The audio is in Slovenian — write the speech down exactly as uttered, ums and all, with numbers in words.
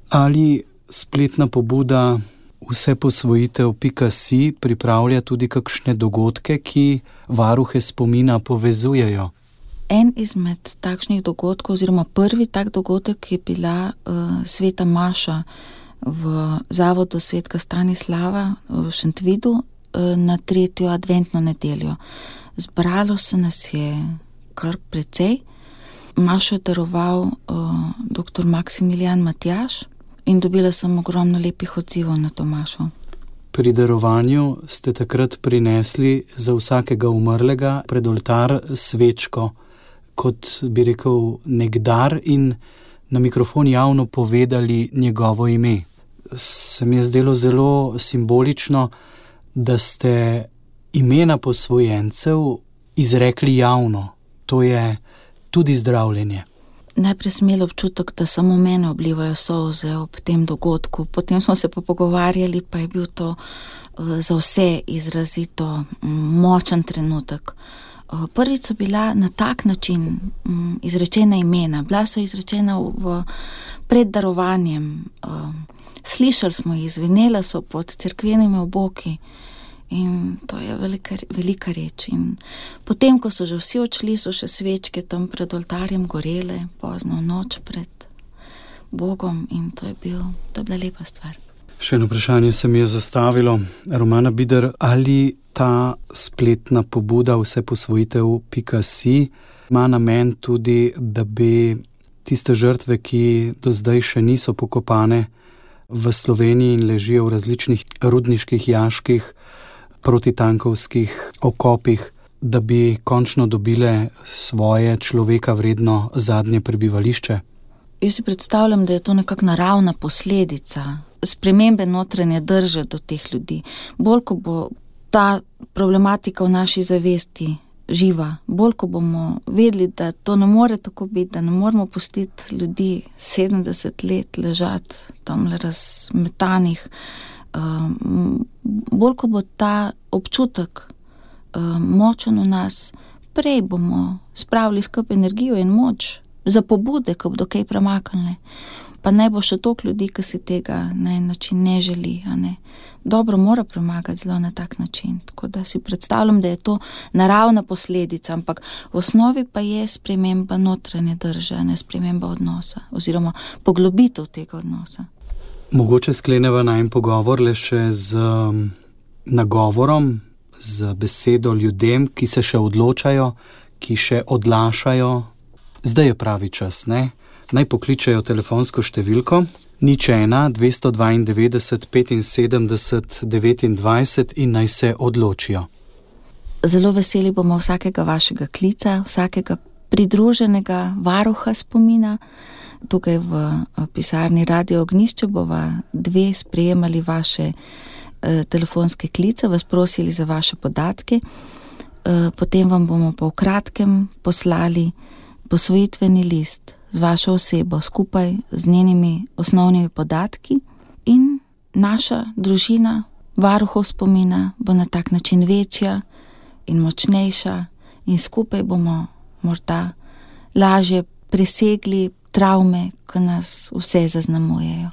Ali spletna pobuda vseposvojitev pika si pripravlja tudi kakšne dogodke, ki varuhe spomina povezujejo? En izmed takšnih dogodkov, oziroma prvi tak dogodek je bila uh, sveta maša v zavodu Svetega Stanislava v Šentvidu uh, na tretjo adventno nedeljo. Zbralo se nas je kar precej. Mašo je daroval uh, doktor Maksimilijan Matjaž in dobila sem ogromno lepih odzivov na to mašo. Pri darovanju ste takrat prinesli za vsakega umrlega pred oltar svečko, kot bi rekel nek dar, in na mikrofon javno povedali njegovo ime. Se mi je zdelo zelo simbolično, da ste imena posvojencev izrekli javno. To je tudi zdravljenje. Najprej sem imela občutek, da samo mene oblivajo solze ob tem dogodku. Potem smo se pa pogovarjali, pa je bil to uh, za vse izrazito um, močen trenutek. Uh, prvič so bila na tak način um, izrečena imena. Bila so izrečena v, v pred darovanjem. Uh, slišali smo jih, zvenela so pod cerkvenimi oboki. In to je velika, velika reč. In potem, ko so že vsi odšli, so še svečke tam pred oltarjem gorele, pozno noč pred Bogom, in to je, bil, to je bila lepa stvar. Še eno vprašanje se mi je zastavilo. Romana Bider, ali ta spletna pobuda vseposvojitev pika si ima namen tudi, da bi tiste žrtve, ki do zdaj še niso pokopane v Sloveniji in ležijo v različnih rudniških jaških, protitankovskih okopih, da bi končno dobile svoje človeka vredno zadnje prebivališče? Jaz si predstavljam, da je to nekako naravna posledica spremembe notranje drže do teh ljudi. Bolj, ko bo ta problematika v naši zavesti živa, bolj, ko bomo vedeli, da to ne more tako biti, da ne moramo pustiti ljudi sedemdeset let ležati tam razmetanih, Um, bolj, ko bo ta občutek um, močen v nas, prej bomo spravili skupaj energijo in moč za pobude, ko bodo kaj premaknili. Pa naj bo še toliko ljudi, ki si tega na en način ne želi. A ne? Dobro mora premagati zelo na tak način. Tako da si predstavljam, da je to naravna posledica, ampak v osnovi pa je sprememba notranje drže, ne sprememba odnosa oziroma poglobitev tega odnosa. Mogoče skleneva najin pogovor le še z um, nagovorom, z besedo ljudem, ki se še odločajo, ki še odlašajo. Zdaj je pravi čas, ne? Naj pokličejo telefonsko številko nič ena dvesto dvaindevetdeset petinsedemdeset devetindvajset in naj se odločijo. Zelo veseli bomo vsakega vašega klica, vsakega pridruženega varuha spomina. Tukaj v pisarni Radio Ognjišče bova dve sprejemali vaše eh, telefonske klice, vas prosili za vaše podatke, eh, potem vam bomo po kratkem poslali posvojitveni list z vašo osebo skupaj z njenimi osnovnimi podatki in naša družina varuhov spomina bo na tak način večja in močnejša in skupaj bomo morda lažje presegli travme, ki nas vse zaznamujejo.